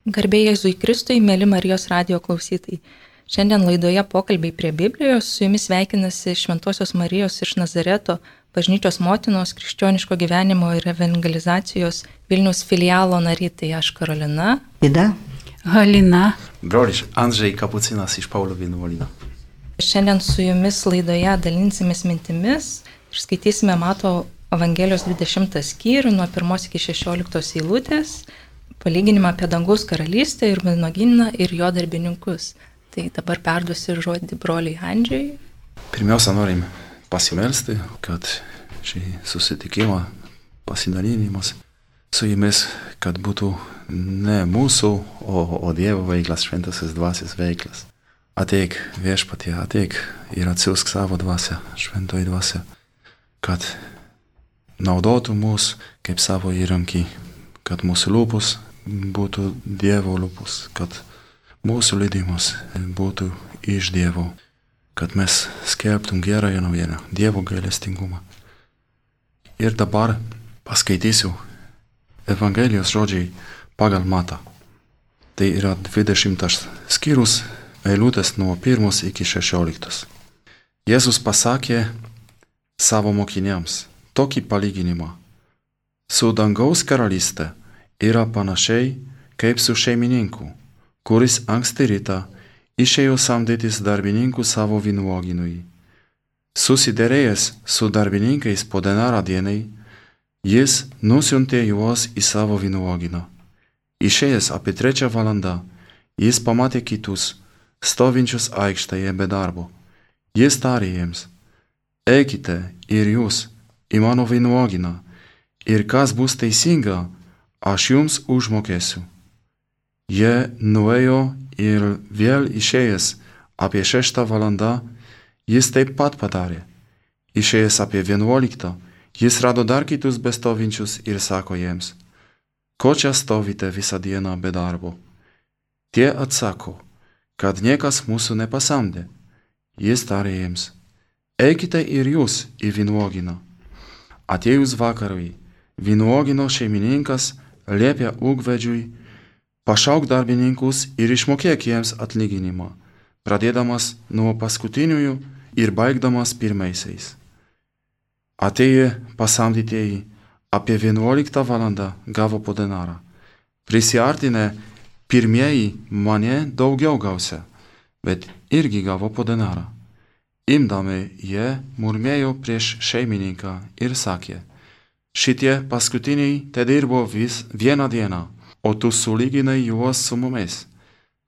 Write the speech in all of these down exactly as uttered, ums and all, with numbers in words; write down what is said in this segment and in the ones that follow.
Garbė Jėzui Kristui, mėly Marijos radijo klausytojai. Šiandien laidoje Pokalbiai prie Biblijos su jumis sveikinasi Šventosios Marijos iš Nazareto bažnyčios motinos krikščioniško gyvenimo ir evangelizacijos Vilniaus filialo nariai, tai aš Karolina. Ida. Halina. Brolis Andrzej Kapucinas iš Paulių vienuolyno. Šiandien su jumis laidoje dalinsimės mintimis ir skaitysime Mato Evangelijos dvidešimtą skyrių nuo pirmos iki šešioliktos eilutės, palyginimą apie dangaus karalystę ir vynuogyną ir jo darbininkus. Tai dabar perduosiu žodį broliui Andžiui. Pirmiausia, norim pasimelsti, kad šį susitikimą, pasidalinimas su jumis, kad būtų ne mūsų, o, o Dievo veiklas, šventasis dvasios veiklas. Ateik viešpatie, ateik ir atsiųsk savo dvasią, šventoji dvasia, kad naudotų mus kaip savo įrankį, kad mūsų lūpos būtų Dievo lūpos, kad mūsų liudijimas būtų iš Dievo, kad mes skelbtum gerąją naujieną, Dievo gailestingumą. Ir dabar paskaitysiu Evangelijos žodžiai pagal Matą. Tai yra dvidešimtas skyrius, eilutės nuo pirmos iki šešioliktos. Jėzus pasakė savo mokiniams tokį palyginimą. Su dangaus karalystė yra panašiai kaip su šeimininku, kuris anksti rytą išėjo samdytis darbininkų savo vynuogynui. Susiderėjęs su darbininkais po denarą dienai, jis nusiuntė juos į savo vynuogyną. Išėjęs apie trečią valandą, jis pamatė kitus, stovinčius aikštėje be darbo. Jis tarė jiems: eikite ir jūs į mano vynuogyną, ir kas bus teisinga, aš jums užmokėsiu. Jie nuėjo ir vėl išėjęs apie šeštą valandą, jis taip pat padarė. Išėjęs apie vienuoliktą, jis rado dar kitus bestovinčius ir sako jiems: ko čia stovite visą dieną be darbo? Tie atsako, kad niekas mūsų nepasamdė. Jis tarė jiems: eikite ir jūs į vynuogyną. Atėjus vakarui, vynuogyno šeimininkas liepė ūkvedžiui: pašauk darbininkus ir išmokėk jiems atlyginimą, pradėdamas nuo paskutiniųjų ir baigdamas pirmaisiais. Atėję pasamdytieji apie vienuoliktą valandą gavo po denarą. Prisiartinę pirmieji mane daugiau gausia, bet irgi gavo po denarą. Imdami jie murmėjo prieš šeimininką ir sakė: šitie paskutiniai te dirbo vis vieną dieną, o tu sulyginai juos su mumis,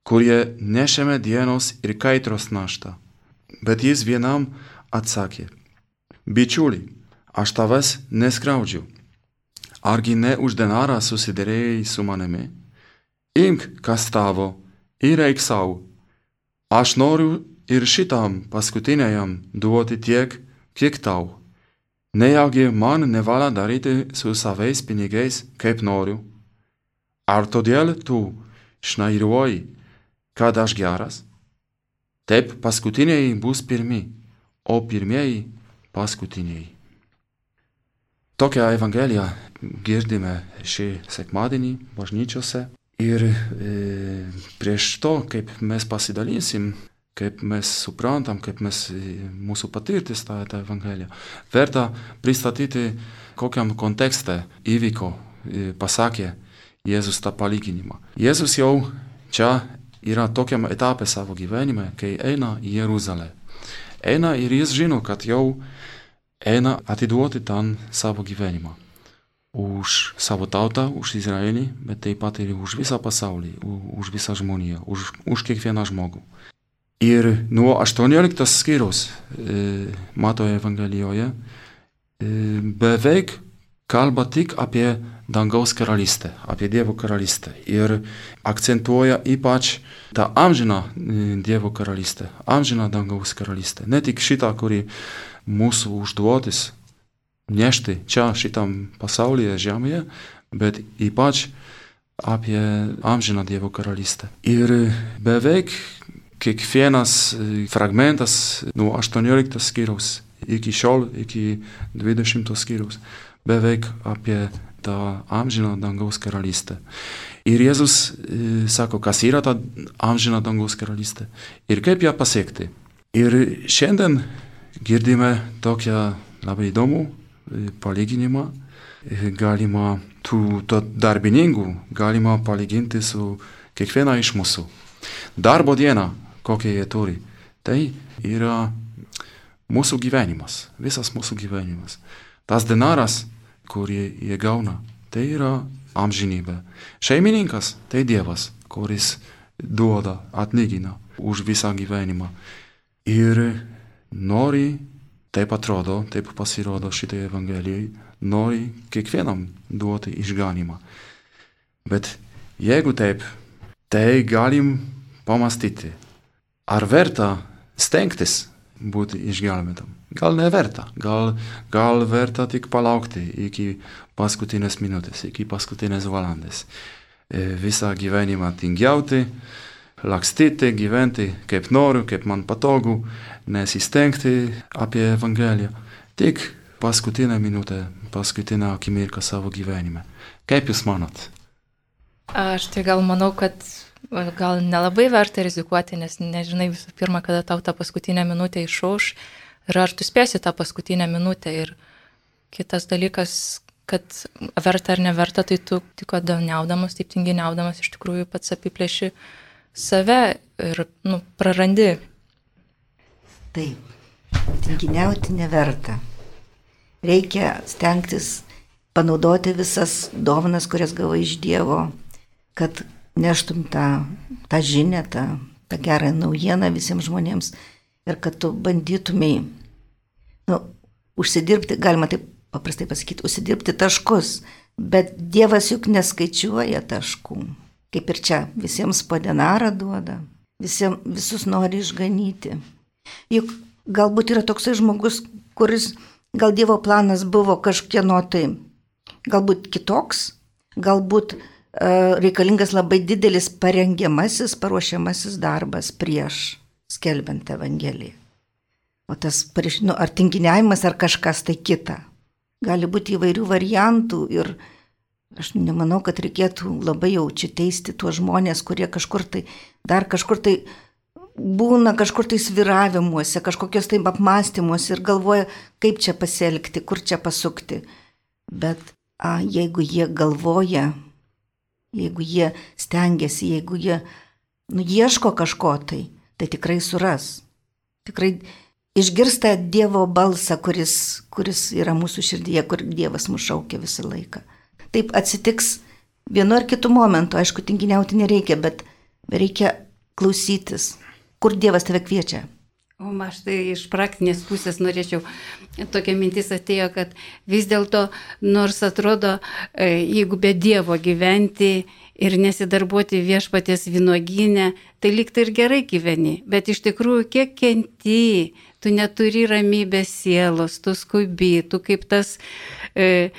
kurie nešėme dienos ir kaitros naštą. Bet jis vienam atsakė: bičiuli, aš tavęs neskriaudžiu. Argi ne už denarą susiderėjai su manimi? Imk, kas tavo, ir eik sau. Aš noriu ir šitam paskutiniajam duoti tiek, kiek tau. Nejaugi man nevalia daryti su savais pinigais, kaip noriu? Ar todėl tu šnairuoji, kad aš geras? Taip paskutiniai bus pirmi, o pirmieji paskutiniai. Tokią Evangeliją girdime šį sekmadienį bažnyčiose. Ir e, prieš to, kaip mes pasidalysim, kaip mes suprantam, kaip mes mūsų patirtis tą, tą Evangeliją, verta pristatyti, kokiam kontekste įvyko, pasakė Jėzus tą palyginimą. Jėzus jau čia yra tokiam etape savo gyvenime, kai eina į Jeruzalę. Eina ir jis žino, kad jau eina atiduoti ten savo gyvenimą. Už savo tautą, už Izraelį, bet taip pat ir už visą pasaulį, už visą žmoniją, už, už kiekvieną žmogų. Ir nuo aštuonioliktos skyriaus e, Mato Evangelijoje e, beveik kalba tik apie dangaus karalystę, apie Dievo karalystę. Ir akcentuoja ypač tą amžiną Dievo karalystę, amžiną dangaus karalystę. Ne tik šitą, kuri mūsų užduotis nešti čia šitam pasaulyje, žemėje, bet ypač apie amžiną Dievo karalystę. Ir beveik kiekvienas fragmentas nuo aštuonioliktos skyriaus iki šiol, iki dvidešimtos skyriaus, beveik apie tą amžiną dangaus karalystę. Ir Jėzus e, sako, kas yra ta amžina dangaus karalystė ir kaip ją pasiekti. Ir šiandien girdime tokią labai įdomų e, palyginimą. E, galima tų to darbininkų galima palyginti su kiekviena iš mūsų. Darbo diena, kokią jie turi, tai yra mūsų gyvenimas, visas mūsų gyvenimas. Tas denaras, kurį jie gauna, tai yra amžinybė. Šeimininkas tai Dievas, kuris duoda, atlygina už visą gyvenimą. Ir nori, taip atrodo, taip pasirodo šitai Evangelijai, nori kiekvienam duoti išganimą. Bet jeigu taip, tai galim pamastyti, ar verta stengtis būti išgelbėtam. Gal neverta, gal, gal verta tik palaukti iki paskutinės minutės, iki paskutinės valandas. E, visą gyvenimą tingiauti, lakstyti, gyventi kaip noriu, kaip man patogu, nesistengti apie Evangeliją. Tik paskutinę minutę, paskutinę akimirką savo gyvenime. Kaip jūs manot? Aš tai gal manau, kad gal nelabai verta rizikuoti, nes nežinai visų pirma, kada tau tą paskutinę minutę išauš ir ar tu spėsi tą paskutinę minutę. Ir kitas dalykas, kad verta ar neverta, tai tu tik tinginiaudamas, taip tinginiaudamas iš tikrųjų pats apiplėši save ir nu, prarandi. Taip, tinginiauti neverta. Reikia stengtis panaudoti visas dovanas, kurias gavai iš Dievo, kad neštum tą, tą žinią, tą, tą gerą naujieną visiems žmonėms ir kad tu bandytumai, nu, užsidirbti, galima taip paprastai pasakyti, užsidirbti taškus, bet Dievas juk neskaičiuoja taškų. Kaip ir čia, visiems po denarą duoda, visiems, visus nori išganyti. Juk galbūt yra toksai žmogus, kuris, gal Dievo planas buvo kažkieno tai, galbūt kitoks, galbūt reikalingas labai didelis parengiamasis, paruošiamasis darbas prieš skelbiant Evangeliją. O tas, nu, ar tinginiavimas, ar kažkas tai kita. Gali būti įvairių variantų ir aš nemanau, kad reikėtų labai jau čia teisti tuos žmonės, kurie kažkur tai, dar kažkur tai būna kažkur tai sviravimuose, kažkokios tai apmąstymuose ir galvoja, kaip čia pasielgti, kur čia pasukti. Bet a, jeigu jie galvoja, jeigu jie stengiasi, jeigu jie nu, ieško kažko tai, tai tikrai suras. Tikrai išgirsta Dievo balsą, kuris, kuris yra mūsų širdyje, kur Dievas mus šaukia visą laiką. Taip atsitiks vienu ar kitu momentu, aišku, tinginiauti nereikia, bet reikia klausytis, kur Dievas tave kviečia. O aš tai iš praktinės pusės norėčiau, tokia mintis atėjo, kad vis dėlto, nors atrodo, jeigu be Dievo gyventi ir nesidarbuoti viešpaties vynuogyne, tai lyg tai ir gerai gyveni, bet iš tikrųjų kiek kenti, tu neturi ramybės sielos, tu skubi, tu kaip tas, e,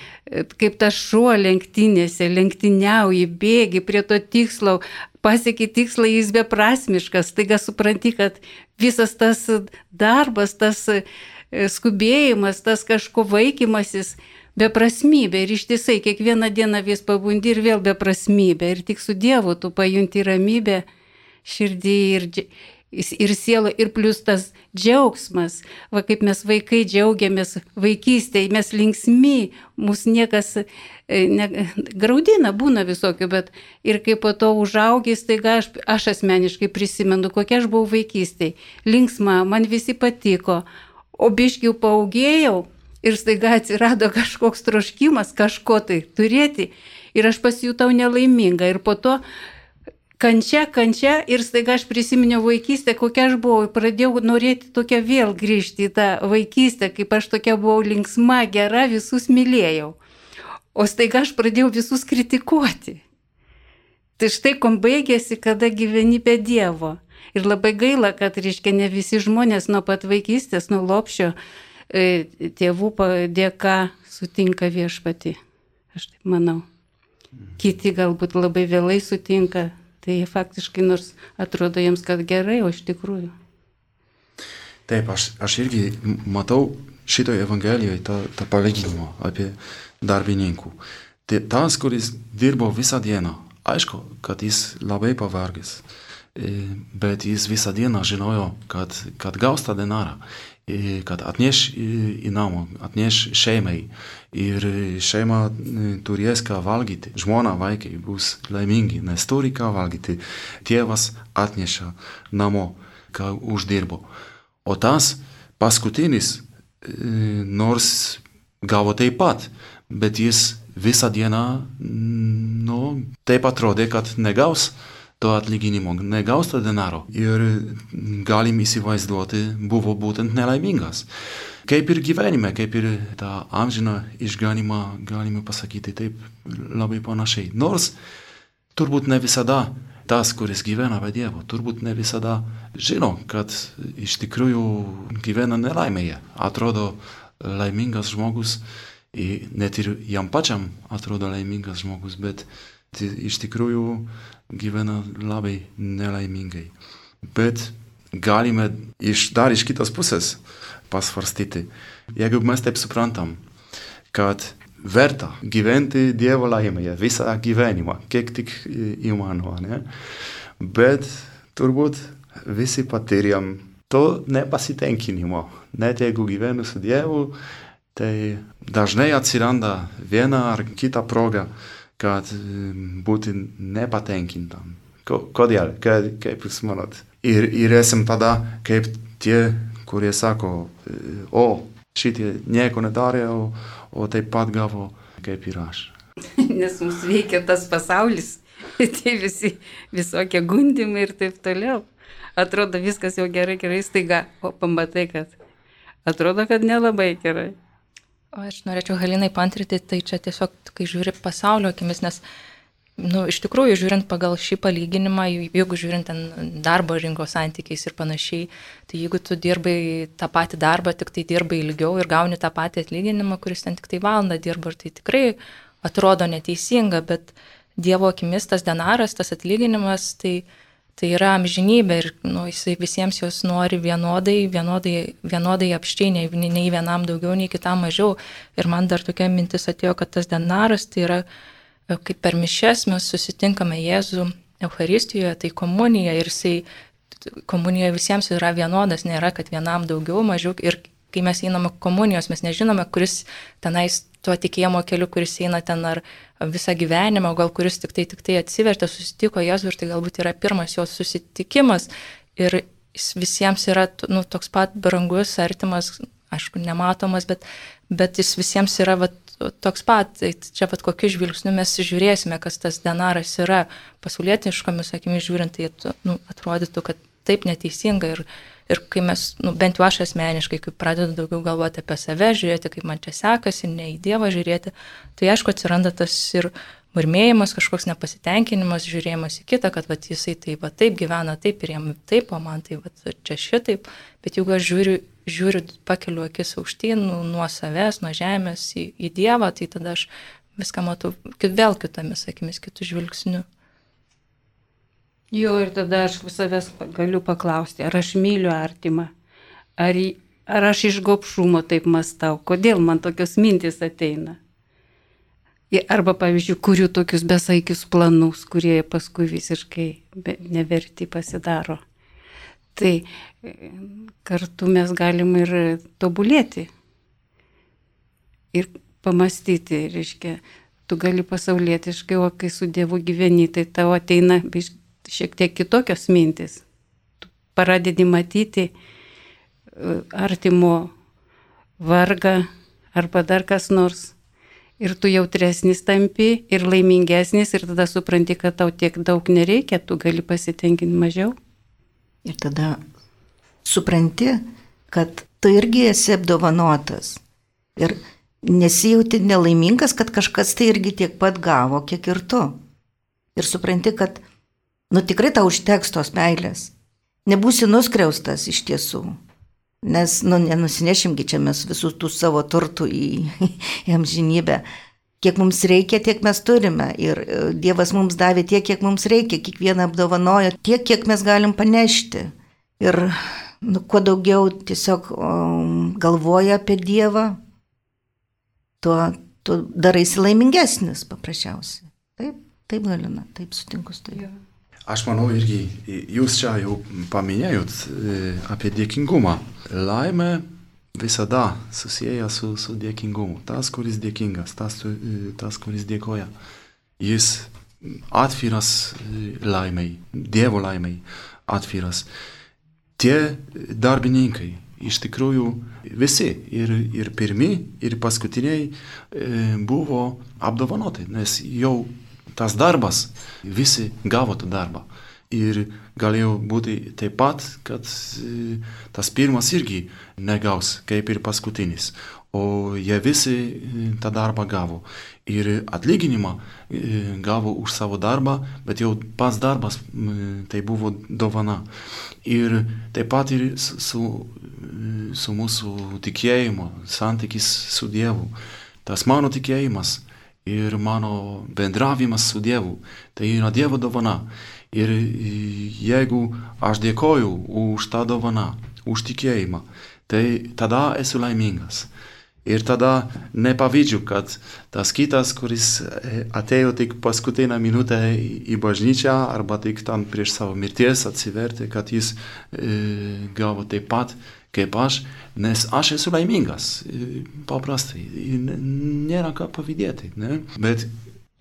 kaip tas šuo lenktynėse, lenktyniauji, bėgi prie to tikslo, pasieki tikslą, jis beprasmiškas, taiga supranti, kad visas tas darbas, tas skubėjimas, tas kažko vaikymasis, beprasmybė ir ištisai kiekvieną dieną vis pabundi ir vėl beprasmybė ir tik su Dievu tu pajunti ramybę širdį ir, ir sielą ir plus tas džiaugsmas, va kaip mes vaikai džiaugiamės vaikystėje, mes linksmi, mūsų niekas ne, graudina, būna visokių, bet ir kai po to užaugęs, tai aš, aš asmeniškai prisimenu, kokia aš buvau vaikystėje, linksma, man visi patiko, o biškiau paaugėjau, ir staiga atsirado kažkoks troškimas kažko tai turėti ir aš pasijutau nelaiminga ir po to kančia, kančia ir staiga aš prisiminiau vaikystę, kokia aš buvau, pradėjau norėti tokia vėl grįžti į tą vaikystę, kaip aš tokia buvau linksma, gera, visus mylėjau. O staiga aš pradėjau visus kritikuoti. Tai štai kom baigėsi, kada gyveni be Dievo. Ir labai gaila, kad, reiškia, ne visi žmonės nuo pat vaikystės, nuo lopšio, tėvų dėka sutinka viešpatį, aš taip manau. Kiti galbūt labai vėlai sutinka, tai faktiškai nors atrodo jiems, kad gerai, o iš tikrųjų. Taip, aš, aš irgi matau šitoje Evangelijoje tą, tą palyginimą apie darbininkų. Tai tas, kuris dirbo visą dieną, aišku, kad jis labai pavargęs, bet jis visą dieną žinojo, kad, kad gaus tą denarą, kad atneš į namą, atneš šeimai ir šeima turės ką valgyti. Žmona, vaikai bus laimingi, nes turi ką valgyti. Tėvas atneša namo, ką uždirbo. O tas paskutinis, nors gavo taip pat, bet jis visą dieną, nu, taip atrodė, kad negaus to atlyginimo, negaus to denaro. Ir galim įsivaizduoti, buvo būtent nelaimingas. Kaip ir gyvenime, kaip ir tą amžiną išganimą, galime pasakyti taip labai panašiai. Nors turbūt ne visada tas, kuris gyvena be Dievo, turbūt ne visada žino, kad iš tikrųjų gyvena nelaimėje. Atrodo laimingas žmogus, net ir jam pačiam atrodo laimingas žmogus, bet iš tikrųjų gyvena labai nelaimingai. Bet galime iš, dar iš kitos pusės pasvarstyti. Jeigu mes taip suprantam, kad verta gyventi Dievo laimėje visą gyvenimą, kiek tik įmanoma, ne? Bet turbūt visi patyrėm to nepasitenkinimo. Net jeigu gyvenu su Dievu, tai dažnai atsiranda viena ar kita proga, kad būti nepatenkintam. Kodėl? Kaip jūs manot? Ir, ir esam tada kaip tie, kurie sako, o šitie nieko nedarė, o, o taip pat gavo kaip ir aš. Nes mums veikia tas pasaulis, tai visi visokie gundimai ir taip toliau. Atrodo viskas jau gerai, gerai, staiga, o pamatai, kad atrodo, kad nelabai gerai. O aš norėčiau Halinai paantrinti, tai čia tiesiog, kai žiūri pasaulio akimis, nes, nu, iš tikrųjų, žiūrint pagal šį palyginimą, jeigu žiūrint ten darbo rinkos santykiais ir panašiai, tai jeigu tu dirbai tą patį darbą, tik tai dirbai ilgiau ir gauni tą patį atlyginimą, kuris ten tik tai valandą dirba, ir tai tikrai atrodo neteisinga, bet Dievo akimis tas denaras, tas atlyginimas, tai Tai yra amžinybė ir, nu, jisai visiems jos nori vienodai, vienodai, vienodai apščiai, nei, nei vienam daugiau, nei kitam mažiau. Ir man dar tokia mintis atėjo, kad tas denaras tai yra, kaip per mišes mes susitinkame Jėzų Eucharistijoje, tai komunija ir jisai, komunijoje visiems yra vienodas, nėra, kad vienam daugiau, mažiau. Ir kai mes einame komunijos, mes nežinome, kuris tenais tuo tikėjimo keliu, kuris eina ten ar visą gyvenimą, o gal kuris tik tai, tik tai atsivertė, susitiko Jėzų ir tai galbūt yra pirmas jos susitikimas ir jis visiems yra, nu, toks pat brangus, artimas, aišku, nematomas, bet, bet jis visiems yra va, toks pat. Tai čia pat kokiu žvilgsniu mes žiūrėsime, kas tas denaras yra, pasaulietiškomis akimis žiūrint, tai nu, atrodytų, kad taip neteisinga ir Ir kai mes, nu, bent jau aš asmeniškai, kai pradedu daugiau galvoti apie save, žiūrėti, kaip man čia sekasi, ne į Dievą žiūrėti, tai aišku atsiranda tas ir murmėjimas, kažkoks nepasitenkinimas, žiūrėjimas į kitą, kad vat, jisai taip, va, taip gyvena, taip ir jam taip, o man tai va, čia šitaip. Bet jeigu aš žiūriu, žiūriu pakeliu akis aukštyn, nu, nuo savęs, nuo žemės į, į Dievą, tai tada aš viską matau vėl kitomis akimis, kitų žvilgsnių. Jo, ir tada aš savęs galiu paklausti, ar aš myliu artimą, ar, ar aš iš gobšumo taip mąstau, kodėl man tokios mintis ateina. Arba, pavyzdžiui, kuriu tokius besaikius planus, kurie paskui visiškai neverti pasidaro. Tai kartu mes galim ir tobulėti ir pamastyti, reiškia, tu gali pasaulietiškai, o kai su Dievu gyveni, tai tavo ateina šiek tiek kitokios mintis. Tu pradedi matyti artimo vargą arba dar kas nors. Ir tu jautresnis tampi ir laimingesnis ir tada supranti, kad tau tiek daug nereikia, tu gali pasitenkinti mažiau. Ir tada supranti, kad tu irgi esi apdovanotas. Ir nesijauti nelaimingas, kad kažkas tai irgi tiek pat gavo, kiek ir tu. Ir supranti, kad nu tikrai tau užteks tos meilės. Nebūsi nuskriaustas iš tiesų. Nes nu, nenusinešimgi čia mes visų tų savo turtų į, į amžinybę. Kiek mums reikia, tiek mes turime. Ir Dievas mums davė tiek, kiek mums reikia. Kiekvieną apdovanojo tiek, kiek mes galim panešti. Ir nu, kuo daugiau tiesiog um, galvoja apie Dievą, tuo, tu daraisi laimingesnis paprasčiausiai. Taip, taip Galina, taip sutinku su tai. Aš manau irgi, jūs čia jau paminėjot apie dėkingumą. Laimė visada susieja su, su dėkingumu. Tas, kuris dėkingas, tas, tas, kuris dėkoja. Jis atviras laimei, Dievo laimei atviras. Tie darbininkai, iš tikrųjų visi, ir, ir pirmi, ir paskutiniai buvo apdovanoti, nes jau tas darbas, visi gavo tą darbą. Ir galėjo būti taip pat, kad tas pirmas irgi negaus, kaip ir paskutinis. O jie visi tą darbą gavo. Ir atlyginimą gavo už savo darbą, bet jau pats darbas tai buvo dovana. Ir taip pat ir su, su mūsų tikėjimu, santykis su Dievu. Tas mano tikėjimas ir mano bendravimas su Dievu, tai yra Dievo dovana. Ir jeigu aš dėkoju už tą dovaną, už tikėjimą, tai tada esu laimingas. Ir tada nepavydžiu, kad tas kitas, kuris atėjo tik paskutinę minutę į bažnyčią arba tik tam prieš savo mirties atsivertė, kad jis e, gavo taip pat kaip aš, nes aš esu laimingas, paprastai, nėra ką pavydėti. Ne? Bet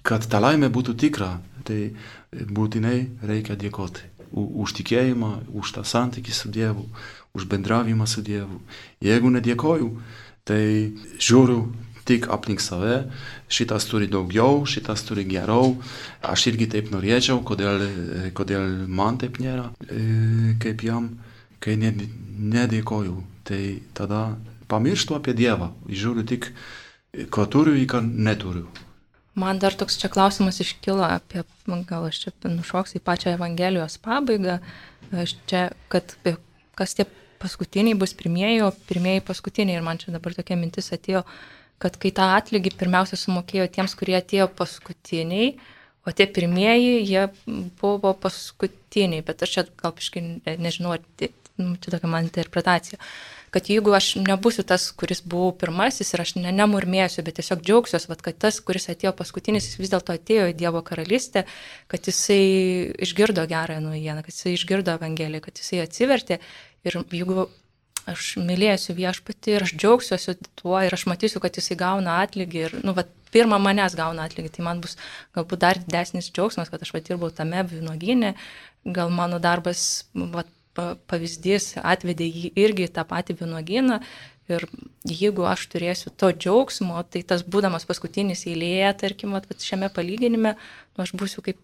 kad ta laimė būtų tikra, tai būtinai reikia dėkoti už tikėjimą, už tą santykį su Dievu, už bendravimą su Dievu. Jeigu nedėkoju, tai žiūriu tik aplink save, šitas turi daugiau, šitas turi geriau, aš irgi taip norėčiau, kodėl, kodėl man taip nėra, kaip jam. Kai nedėkoju, tai tada pamirštu apie Dievą, žiūriu tik, ko turiu, ką neturiu. Man dar toks čia klausimas iškilo apie, gal aš čia nušoksiu į pačią Evangelijos pabaigą, aš čia, kad kas tie paskutiniai bus pirmieji, o pirmieji paskutiniai. Ir man čia dabar tokia mintis atėjo, kad kai tą atlygį pirmiausia sumokėjo tiems, kurie atėjo paskutiniai, o tie pirmieji, jie buvo paskutiniai. Bet aš čia gal kažkai nežinau, tai, nu, čia tokia man interpretacija, kad jeigu aš nebūsiu tas, kuris buvau pirmasis ir aš ne, nemurmėsiu, bet tiesiog džiaugsiuos, vat, kad tas, kuris atėjo paskutinis, jis vis dėlto atėjo į Dievo karalystę, kad jisai išgirdo gerąją naujieną, kad jisai išgirdo Evangeliją, kad jisai atsivertė. Ir jeigu aš mylėsiu viešpatį ir aš džiaugsiuosi tuo ir aš matysiu, kad jisai gauna atlygį ir, nu, va, pirmą manęs gauna atlygį, tai man bus galbūt dar didesnis džiaugsmas, kad aš va dirbau tame vynuogyne, gal mano darbas, va, pavyzdys atvedė jį irgi tą patį vynuogyną ir jeigu aš turėsiu to džiaugsmo, tai tas būdamas paskutinis eilėje, tarkim, va, šiame palyginime, nu, aš būsiu kaip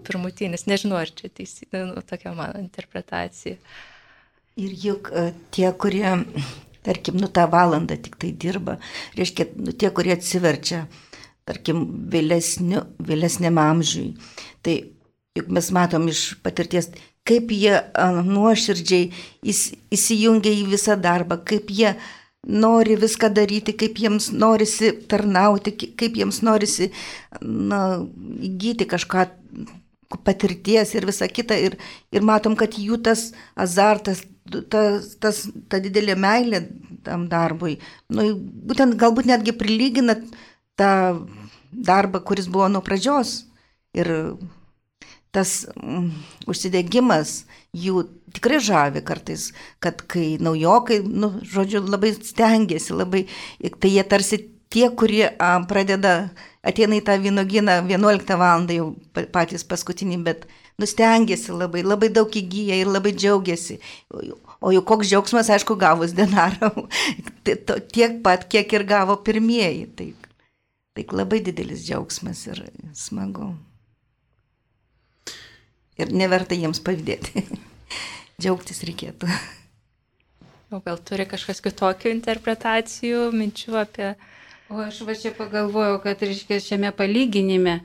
pirmutinis, nežinau, ar čia teisybė, nu, tokia mano interpretacija. Ir juk tie, kurie, tarkim, nu tą valandą tik tai dirba, reiškia, nu, tie, kurie atsiverčia, tarkim, vėlesniu, vėlesniam amžiui, tai juk mes matom iš patirties, kaip jie nuoširdžiai įsijungia į visą darbą, kaip jie nori viską daryti, kaip jiems norisi tarnauti, kaip jiems norisi, na, įgyti kažką patirties ir visą kitą. Ir, ir matom, kad jų tas azartas, tas, tas, ta didelė meilė tam darbui, nu, būtent galbūt netgi prilygina tą darbą, kuris buvo nuo pradžios. Ir tas mm, užsidegimas jų tikrai žavi kartais, kad kai naujokai, nu, žodžiu, labai stengiasi, labai, tai jie tarsi tie, kurie a, pradeda, ateina į tą vynuogyną vienuoliktą valandą jau patys paskutiniai, bet nustengiasi labai, labai daug įgyja ir labai džiaugiasi. O jau koks džiaugsmas, aišku, gavus denarą, tiek pat, kiek ir gavo pirmieji. Tai, tai labai didelis džiaugsmas ir smagu. Ir neverta jiems pavydėti. Džiaugtis reikėtų. O gal turi kažkas kitokių interpretacijų, minčių apie... O aš va čia pagalvojau, kad, reiškia, šiame palyginime,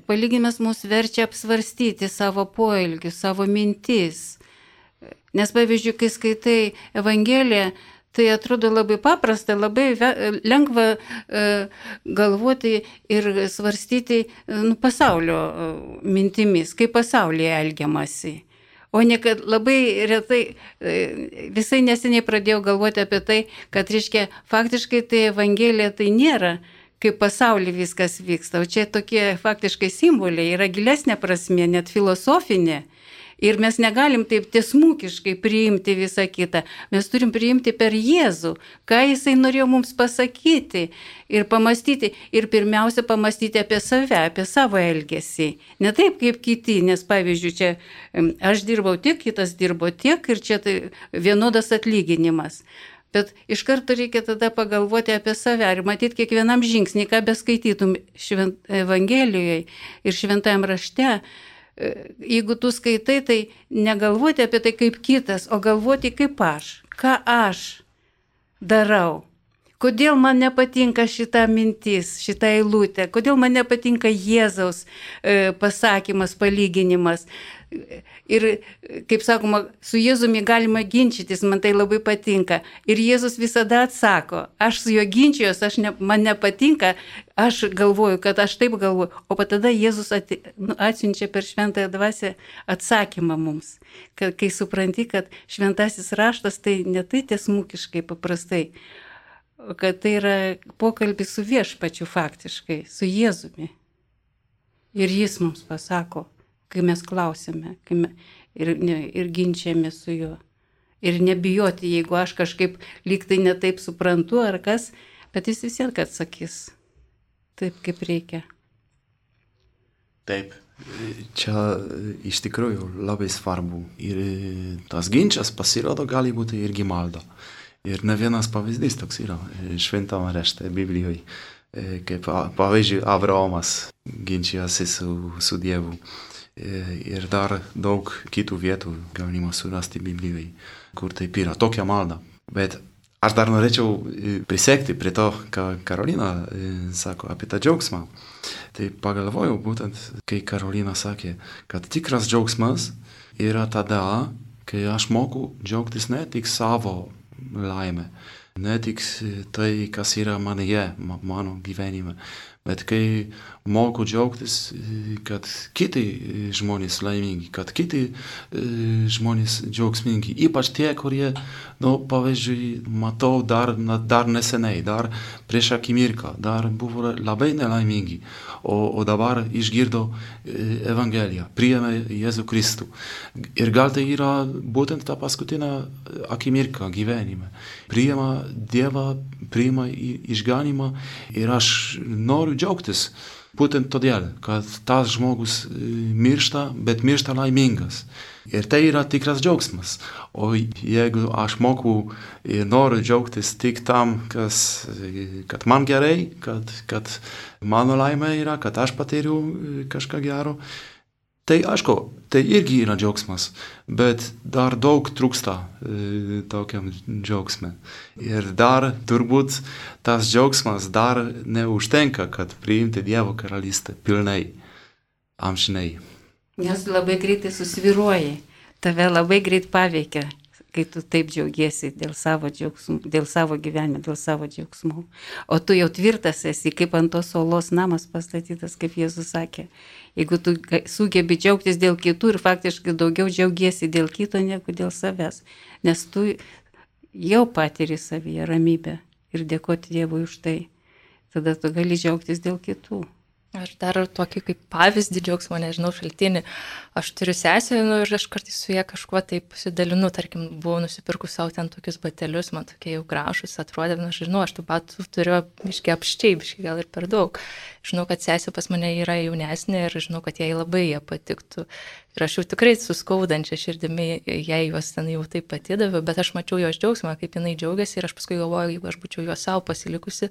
palyginimas mus verčia apsvarstyti savo poelgius, savo mintis. Nes, pavyzdžiui, kai skaitai Evangeliją, tai atrodo labai paprasta, labai lengva galvoti ir svarstyti, nu, pasaulio mintimis, kaip pasaulyje elgiamasi. O ne kad labai retai, visai neseniai pradėjau galvoti apie tai, kad, reiškia, faktiškai tai Evangelija tai nėra, kaip pasaulyje viskas vyksta. O čia tokie faktiškai simboliai, yra gilesnė prasmė, net filosofinė. Ir mes negalim taip tiesmukiškai priimti visą kitą. Mes turim priimti per Jėzų, ką Jisai norėjo mums pasakyti ir pamastyti. Ir pirmiausia, pamastyti apie save, apie savo elgesį. Ne taip kaip kiti, nes pavyzdžiui, čia aš dirbau tiek, kitas dirbo tiek ir čia tai vienodas atlyginimas. Bet iš karto reikia tada pagalvoti apie save ir matyti kiekvienam žingsnį, ką beskaitytum švent Evangelijoje ir šventajam rašte. Jeigu tu skaitai, tai negalvoti apie tai kaip kitas, o galvoti kaip aš, ką aš darau. Kodėl man nepatinka šita mintis, šita eilutė, kodėl man nepatinka Jėzaus e, pasakymas, palyginimas. Ir, kaip sakoma, su Jėzumi galima ginčytis, man tai labai patinka. Ir Jėzus visada atsako, aš su juo ginčiuos, aš ne, man nepatinka, aš galvoju, kad aš taip galvoju. O tada Jėzus ati, nu, atsiunčia per šventąją dvasią atsakymą mums. Kad, kai supranti, kad šventasis raštas tai ne tai tiesmukiškai paprastai, kad tai yra pokalbis su viešpačiu faktiškai, su Jėzumi. Ir jis mums pasako, kai mes klausime kai me, ir, ne, ir ginčiame su juo. Ir nebijoti, jeigu aš kažkaip lyg tai netaip suprantu ar kas, bet jis vis tiek atsakys taip, kaip reikia. Taip, čia iš tikrųjų labai svarbu. Ir tas ginčas pasirodo gali būti irgi malda. Ir ne vienas pavyzdys toks yra šventame rašte Biblijoje, kaip pavyzdžiui Abraomas ginčijasi su, su Dievu. Ir dar daug kitų vietų galima surasti Biblijoje, kur taip yra, tokia malda. Bet aš dar norėčiau prisekti prie to, ką Karolina sako apie tą džiaugsmą. Tai pagalvojau būtent, kai Karolina sakė, kad tikras džiaugsmas yra tada, kai aš moku džiaugtis ne tik savo laimę, ne tik tai, kas yra manyje, mano gyvenime, bet kai moku džiaugtis, kad kiti žmonės laimingi, kad kiti žmonės džiaugsmingi, ypač tie, kurie, nu, pavyzdžiui, matau dar, dar neseniai, dar prieš akimirką, dar buvo labai nelaimingi, o, o dabar išgirdo Evangeliją, priėmė Jėzų Kristų. Ir gal tai yra būtent ta paskutinė akimirka gyvenime. Priėmė Dievą, priėmė išganymą ir aš noriu džiaugtis. Būtent todėl, kad tas žmogus miršta, bet miršta laimingas. Ir tai yra tikras džiaugsmas. O jeigu aš moku ir noriu džiaugtis tik tam, kas, kad man gerai, kad, kad mano laimė yra, kad aš patyriu kažką gero, tai aišku, tai irgi yra džiaugsmas, bet dar daug trūksta e, tokiam džiaugsme. Ir dar turbūt tas džiaugsmas dar neužtenka, kad priimti Dievo karalystę pilnai, amžinai. Nes labai greitai susviruoji, tave labai greit paveikia, kai tu taip džiaugiesi dėl savo džiaugsmų, dėl savo gyvenimo, dėl savo džiaugsmų. O tu jau tvirtas esi, kaip ant tos olos namas pastatytas, kaip Jėzus sakė. Jeigu tu sugebi džiaugtis dėl kitų ir faktiškai daugiau džiaugiesi dėl kito negu dėl savęs, nes tu jau patiri savyje ramybę ir dėkoti Dievui už tai, tada tu gali džiaugtis dėl kitų. Aš dar tokį kaip pavyzdį džiaugsmo, nežinau, šaltinį. Aš turiu sesę, nu, ir aš kartais su ją kažkuo taip pasidalinu, tarkim, buvau nusipirkus savo ten tokius batelius, man tokie jau gražus atrodė, nu, aš žinau, aš tų batų turiu biškai apščiai, biškai gal ir per daug. Žinau, kad sesė pas mane yra jaunesnė ir žinau, kad jai labai jie patiktų. Ir aš jau tikrai suskaudančia širdimi, jei juos ten jau taip patidaviau, bet aš mačiau jos džiaugsmą, kaip jinai džiaugiasi ir aš paskui galvoju, jeigu aš būčiau juos savo pasilikusi,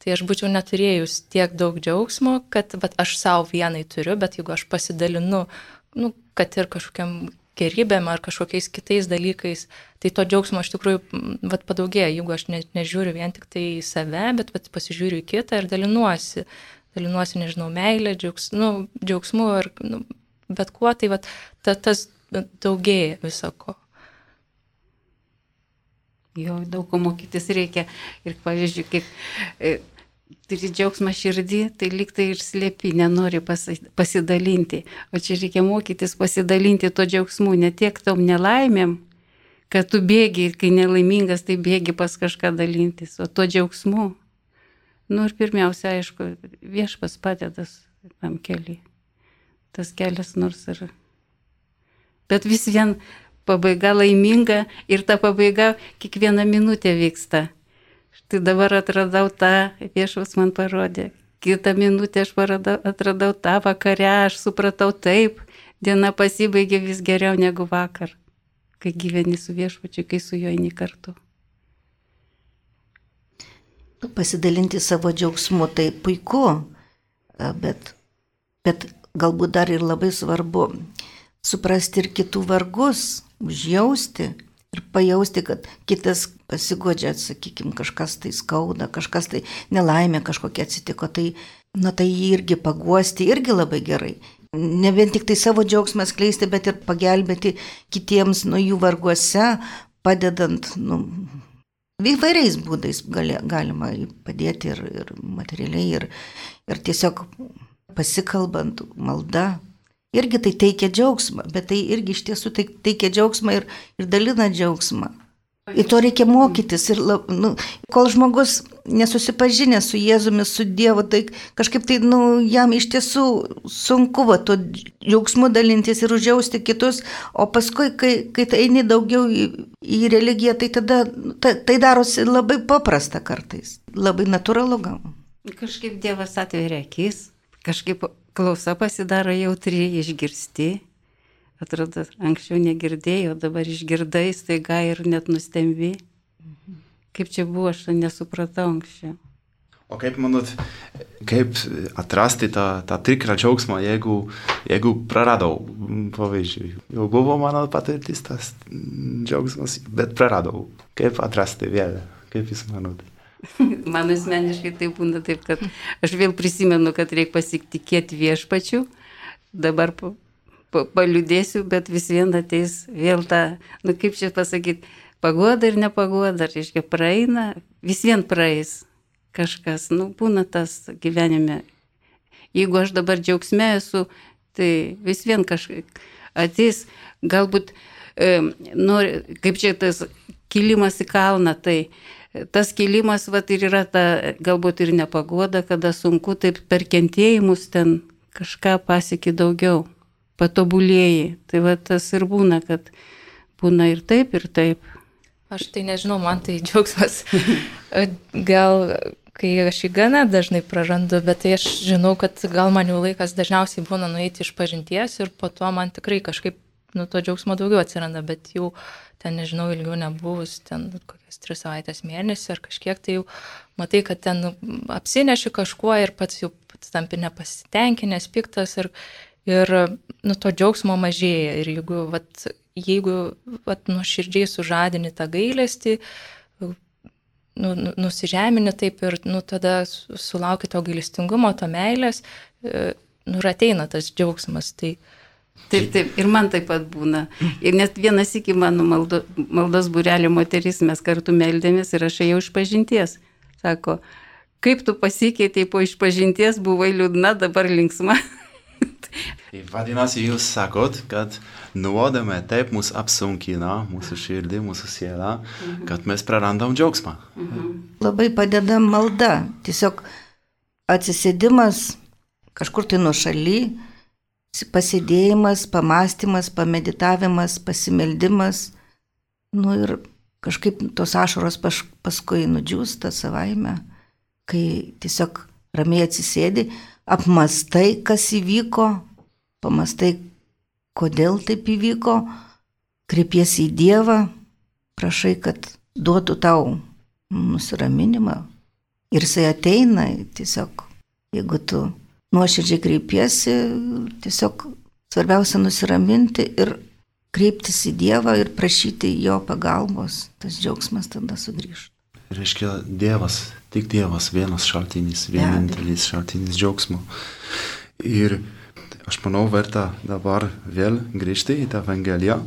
tai aš būčiau neturėjus tiek daug džiaugsmo, kad bet aš savo vienai turiu, bet jeigu aš pasidalinu, nu, kad ir kažkokiam gerybėm ar kažkokiais kitais dalykais, tai to džiaugsmo iš tikrųjų vat, padaugėja, jeigu aš ne, nežiūriu vien tik tai į save, bet vat, pasižiūriu į kitą ir dalinuosi, dalinuosi, nežinau, meilę, džiaugs, nu, džiaugsmu ir nu, bet kuo, tai vat, ta, tas daugėja visako. Jo, daug ko mokytis reikia. Ir pavyzdžiui, kaip turi džiaugsmą širdį, tai lyg tai ir slėpi, nenori pasidalinti. O čia reikia mokytis pasidalinti to džiaugsmu, ne tiek tom nelaimėm, kad tu bėgi, kai nelaimingas, tai bėgi pas kažką dalintis, o to džiaugsmu. Nu ir pirmiausia, aišku, Viešpats padeda tam keliui. Tas kelias nors ir... Bet vis vien pabaiga laiminga ir ta pabaiga kiekvieną minutę vyksta. Štai dabar atradau tą, Viešpats man parodė. Kitą minutę aš paradau, atradau tą vakarę, aš supratau taip, diena pasibaigė vis geriau negu vakar, kai gyveni su Viešpačiu, kai su juo eini kartu. Pasidalinti savo džiaugsmu tai puiku, bet, bet galbūt dar ir labai svarbu suprasti ir kitų vargus, užjausti ir pajausti, kad kitas pasigodžia, sakykime, kažkas tai skauda, kažkas tai nelaimė kažkokia atsitiko, tai, na, tai jį irgi paguosti irgi labai gerai. Ne vien tik tai savo džiaugsmą skleisti, bet ir pagelbėti kitiems nuo jų varguose, padedant, nu, įvairiais būdais gali, galima padėti ir, ir materialiai, ir, ir tiesiog pasikalbant, malda. Irgi tai teikia džiaugsmą, bet tai irgi iš tiesų tai teikia džiaugsmą ir, ir dalina džiaugsmą. Ir to reikia mokytis. Ir, nu, kol žmogus nesusipažinęs su Jėzumi, su Dievu, tai kažkaip tai nu, jam iš tiesų sunku va, to džiaugsmu dalintis ir užjausti kitus, o paskui, kai, kai tai eini daugiau į, į religiją, tai tada ta, tai darosi labai paprasta kartais, labai natūralu gal. Kažkaip Dievas atveria akis, kažkaip klausa pasidaro jautri, išgirsti. Atrodo, anksčiau negirdėjau, dabar išgirdai, staiga ir net nustembi. Kaip čia buvo, aš nesupratau anksčiau. O kaip manot, kaip atrasti tą, tą tikrą džiaugsmą, jeigu, jeigu praradau, pavyzdžiui, jau buvo mano patirtis tas džiaugsmas, bet praradau. Kaip atrasti vėl? Kaip jūs manot? Man asmeniškai tai būna taip, kad aš vėl prisimenu, kad reikia pasitikėti Viešpačiu, dabar pa, pa, paliudėsiu, bet vis vien ateis vėl tą, nu kaip čia pasakyti, pagoda ir nepagoda, reiškia praeina, vis vien praeis kažkas, nu būna tas gyvenime. Jeigu aš dabar džiaugsme esu, tai vis vien kažkaip ateis, galbūt, e, nori, kaip čia tas kilimas į kalną, tai tas kilimas vat, ir yra ta galbūt ir nepagoda, kada sunku, taip per kentėjimus ten kažką pasieki daugiau, patobulėjai. Tai va, tas ir būna, kad būna ir taip, ir taip. Aš tai nežinau, man tai džiaugsmas. Gal, kai aš jį gana dažnai prarandu, bet tai aš žinau, kad gal man jau laikas dažniausiai būna nueiti iš pažinties ir po to man tikrai kažkaip nu, to džiaugsmo daugiau atsiranda, bet jau ten, nežinau, ilgiau nebuvus, ten kokias tris savaitės mėnesį ar kažkiek, tai jau matai, kad ten apsineši kažkuo ir pats jau tampi nepasitenkinęs, piktas ir, ir nu, to džiaugsmo mažėja. Ir jeigu, vat, jeigu vat, nuoširdžiai sužadini tą gailestį, nu, nusižemini taip ir nu, tada sulauki to gailestingumo, to meilės, nu, ir ateina tas džiaugsmas. Tai, Taip, taip, ir man taip pat būna. Ir net vienas iki mano maldo, maldos būrelio moteris, mes kartu meldėmės ir aš ėjau iš pažinties. Sako, kaip tu pasikeitei po išpažinties, buvai liūdna, dabar linksma. Vadinasi, jūs sakot, kad nuodėmė taip mus apsunkina, mūsų širdį, mūsų sielą, mhm. kad mes prarandam džiaugsmą. Mhm. Labai padeda malda. Tiesiog atsisėdimas kažkur tai nuošaly, pasėdėjimas, pamastymas, pameditavimas, pasimeldimas, nu ir kažkaip tos ašaros pas, paskui nudžiūsta savaime, kai tiesiog ramiai atsisėdi, apmastai, kas įvyko, pamastai, kodėl taip įvyko, kreipiesi į Dievą, prašai, kad duotų tau nusiraminimą ir jisai ateina, tiesiog, jeigu tu nuoširdžiai kreipiesi, tiesiog svarbiausia nusiraminti ir kreiptis į Dievą ir prašyti jo pagalbos, tas džiaugsmas tada sugrįžta. Reiškia Dievas, tik Dievas, vienas šaltinis, vienintelis šaltinis džiaugsmo. Ir aš manau, verta dabar vėl grįžti į tą Evangeliją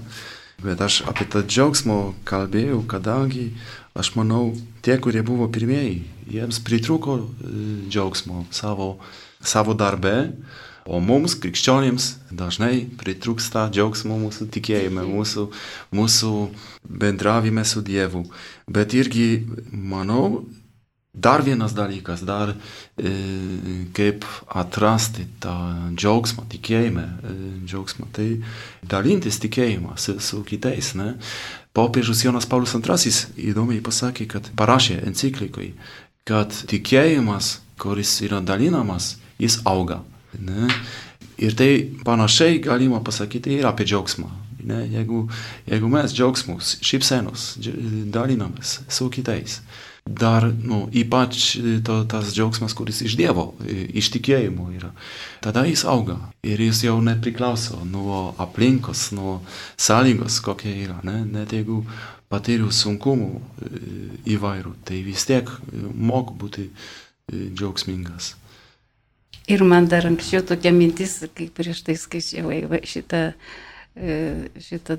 Bet aš apie tą džiaugsmo kalbėjau, kadangi aš manau, tie, kurie buvo pirmieji, jiems pritrūko džiaugsmo savo, savo darbe, o mums, krikščionims, dažnai pritrūksta džiaugsmo mūsų tikėjime, mūsų, mūsų bendravime su Dievu. Bet irgi, manau, dar vienas dalykas, dar e, kaip atrasti tą džiaugsmą, tikėjimą, e, džiaugsmą, tai dalintis tikėjimą su, su kitais. Ne? Popiežius Jonas Paulius antrasis įdomiai pasakė, kad parašė enciklikui, kad tikėjimas, kuris yra dalinamas, jis auga. Ne? Ir tai panašiai galima pasakyti ir apie džiaugsmą. Ne? Jeigu, jeigu mes džiaugsmus, šypsenos dalinamės su kitais, dar, nu, ypač to, tas džiaugsmas, kuris iš Dievo, iš tikėjimo yra. Tada jis auga ir jis jau nepriklauso nuo aplinkos, nuo sąlygos, kokia yra. Ne? Net jeigu patyriu sunkumų įvairių, tai vis tiek moku būti džiaugsmingas. Ir man dar anksčiau tokia mintis, kai prieš tai skaičiau šitą, šitą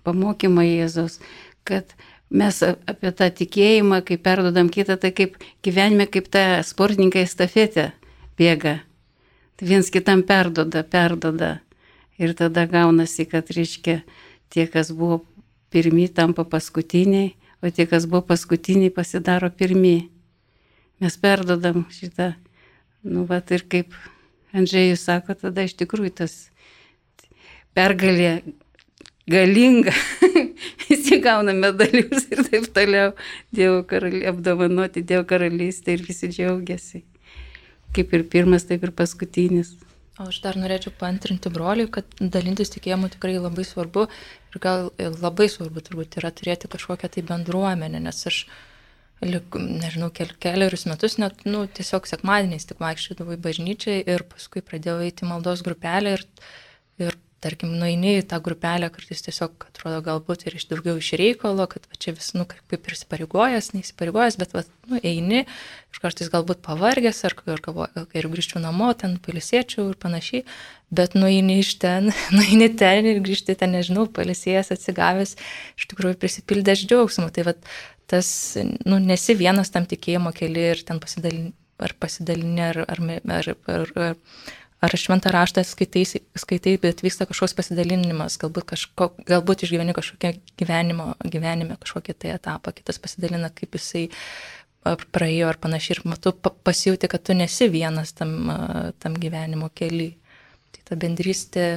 pamokymą Jėzaus, kad mes apie tą tikėjimą, kai perdodam kitą, tai kaip gyvenime, kaip ta sportininkai estafetė bėga. Tai viens kitam perdoda, perdoda. Ir tada gaunasi, kad, reiškia, tie, kas buvo pirmi, tampa paskutiniai, o tie, kas buvo paskutiniai, pasidaro pirmi. Mes perdodam šitą. Nu, vat ir kaip Andžėjus sako, tada iš tikrųjų tas pergalė galinga, visi gauna medalius ir taip toliau, Dievo karalystė, apdovanoti Dievo karalystę ir visi džiaugiasi. Kaip ir pirmas, taip ir paskutinis. O aš dar norėčiau paantrinti broliui, kad dalintis tikėjimu tikrai labai svarbu ir gal labai svarbu turbūt yra turėti kažkokią tai bendruomenę, nes aš lik, nežinau, kel, keliarius metus net, nu, tiesiog sekmadieniais tik vaikščiodavau į bažnyčią ir paskui pradėjau eiti maldos grupelę ir, ir tarkim, nueini į tą grupelę, kartais tiesiog atrodo galbūt ir iš daugiau iš reikalo, kad va, čia vis, nu, kaip ir įsipareigojęs, neįsipareigojęs, bet va, nu, eini, ir kartais galbūt pavargęs, ar, ar galvoju, kai ir grįžčiau namo, ten palisėčiau ir panašiai, bet nueini iš ten, nueini ten ir grįžti ten, nežinau, palisėjęs, atsigavęs, iš tikrųjų prisipildęs džiaugsmo. Tai va, tas, nu, nesi vienas tam tikėjimo keli ir ten pasidalini, ar pasidalini, ar, ar, ar, ar, ar, ar šventą raštą skaitai, skaitai, bet vyksta kažkoks pasidalinimas, galbūt, kažko, galbūt išgyveni kažkokią gyvenimo, gyvenime kažkokį tai etapą, kitas pasidalina, kaip jisai praėjo ar panašiai, ir tu pasijauti, kad tu nesi vienas tam, tam gyvenimo kely. Tai ta bendrystė,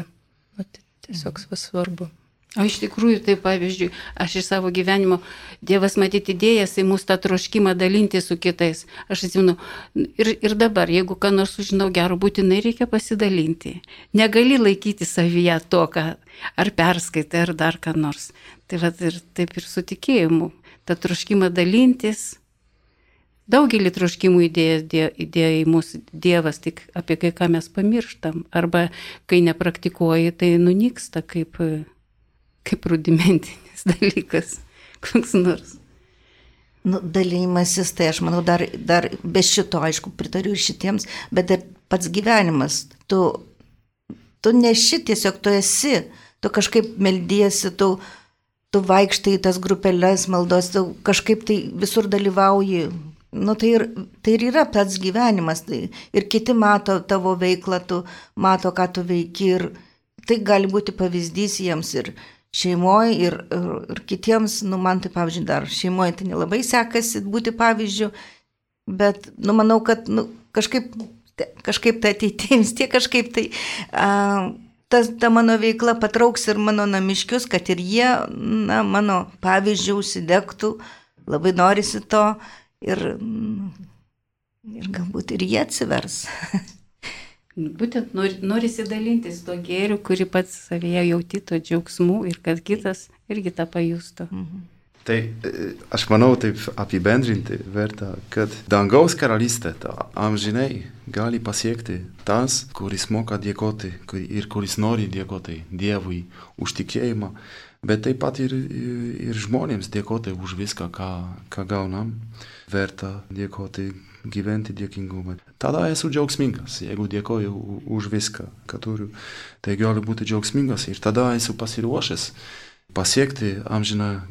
nu, tiesiog svarbu. O iš tikrųjų, tai pavyzdžiui, aš iš savo gyvenimo, Dievas matyti idėjas į mūsų tą troškimą dalinti su kitais. Aš atsimenu, ir, ir dabar, jeigu ką nors sužinau gero, būtinai reikia pasidalinti. Negali laikyti savyje to, ką ar perskaitai, ar dar ką nors. Tai va, ir taip ir su tikėjimu. Ta troškimą dalintis. Daugelį troškimų idėja, idėja į mūsų Dievas, tik apie kai ką mes pamirštam. Arba kai nepraktikuoji, tai nunyksta kaip, kaip rudimentinis dalykas, koks nors. Nu, dalymasis, tai aš manau, dar, dar be šito, aišku, pritariu ir šitiems, bet ir pats gyvenimas. Tu, tu neši, tiesiog tu esi, tu kažkaip meldiesi, tu, tu vaikštai į tas grupelės maldos, tu kažkaip tai visur dalyvauji. Nu, tai, ir, tai ir yra pats gyvenimas, tai ir kiti mato tavo veiklą, tu mato, ką tu veiki, ir tai gali būti pavyzdys jiems ir šeimoje, ir, ir, ir kitiems, nu, man tai, pavyzdžiui, dar šeimoje tai nelabai sekasi būti pavyzdžiu, bet, nu, manau, kad, nu, kažkaip, kažkaip tai ateitėjams, tie kažkaip tai, a, ta, ta mano veikla patrauks ir mano namiškius, kad ir jie, na, mano pavyzdžių užsidegtų, labai norisi to. Ir, ir galbūt ir jie atsivers. Būtent nori, norisi dalintis to gėriu, kurį pats savyje jauti, to džiaugsmų, ir kad kitas irgi tą pajustų. Mhm. Tai aš manau taip apibendrinti verta, kad dangaus karalystė amžinai gali pasiekti tas, kuris moka dėkoti ir kuris nori dėkoti Dievui už tikėjimą, bet taip pat ir, ir žmonėms dėkoti už viską, ką, ką gaunam. Verta dėkoti, gyventi dėkingumą. Tada esu džiaugsmingas, jeigu dėkoju už viską, ką turiu, tai gali būti džiaugsmingas ir tada esu pasiruošęs pasiekti amžiną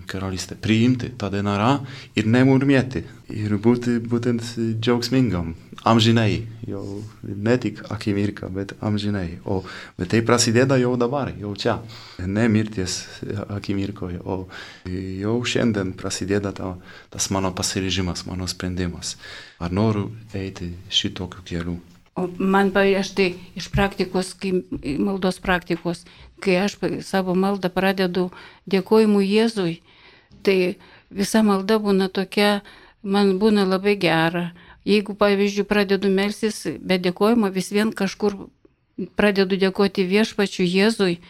karalystę, priimti tą denarą ir nemurmėti ir būti būtent džiaugsmingam, amžinai, jau ne tik akimirką, bet amžinai. O bet tai prasideda jau dabar, jau čia, ne mirties akimirkoje, o jau šiandien prasideda ta, tas mano pasiryžimas, mano sprendimas. Ar noriu eiti šitokiu keliu? O man, aš tai iš praktikos, kai, maldos praktikos, kai aš savo maldą pradedu dėkojimu Jėzui, tai visa malda būna tokia, man būna labai gera. Jeigu, pavyzdžiui, pradedu melstis be dėkojimo, vis vien kažkur pradedu dėkoti viešpačiu Jėzui,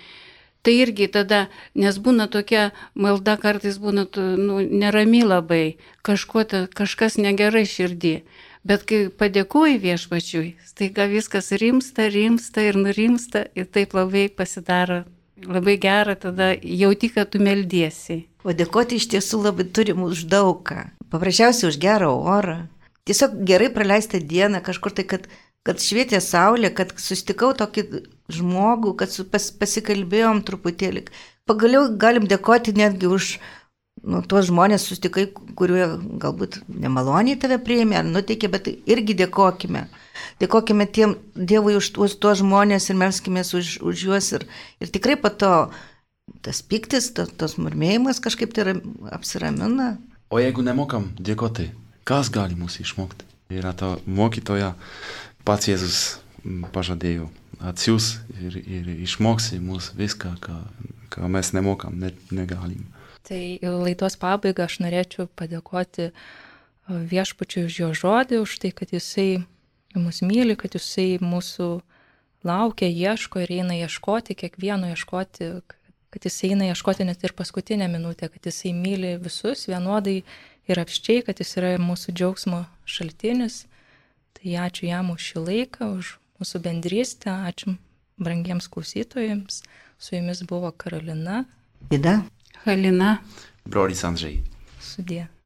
tai irgi tada, nes būna tokia malda, kartais būna nu, nerami labai, kažko, kažkas negerai širdį. Bet kai padėkoji viešpačiui, staiga viskas rimsta, rimsta ir nurimsta ir taip labai pasidaro, labai gera, tada jauti, kad tu meldiesi. O dėkoti iš tiesų labai turim už daugą. Paprasčiausiai už gerą orą. Tiesiog gerai praleistą dieną kažkur tai, kad, kad švietė saulė, kad susitikau tokį žmogų, kad su, pas, pasikalbėjom truputėlį. Pagaliau galim dėkoti netgi už nu, tuos žmonės susitikai, kurie galbūt nemaloniai tave priėmė ar nuteikė, bet irgi dėkokime. Dėkokime tiem Dievui už tuos, tuos žmonės ir melskimės už, už juos. Ir, ir tikrai po to tas piktis, to, tos murmėjimas kažkaip tai apsiramina. O jeigu nemokam dėkoti, kas gali mūsų išmokti? Yra ta mokytoja, pats Jėzus pažadėjo, atsiūs ir, ir išmoksi mūsų viską, ką, ką mes nemokam, net negalim. Tai laidos pabaigą aš norėčiau padėkoti viešpačiui už jo žodį, už tai, kad jisai mus myli, kad jisai mūsų laukia, ieško ir eina ieškoti, kiekvieno ieškoti, kad jisai eina ieškoti net ir paskutinę minutę, kad jisai myli visus vienodai ir apščiai, kad jis yra mūsų džiaugsmo šaltinis. Tai ačiū jam už šį laiką, už mūsų bendrystę, ačiū brangiems klausytojams. Su jumis buvo Karolina. Vida. Halina. Brolis Andžej. Sudie.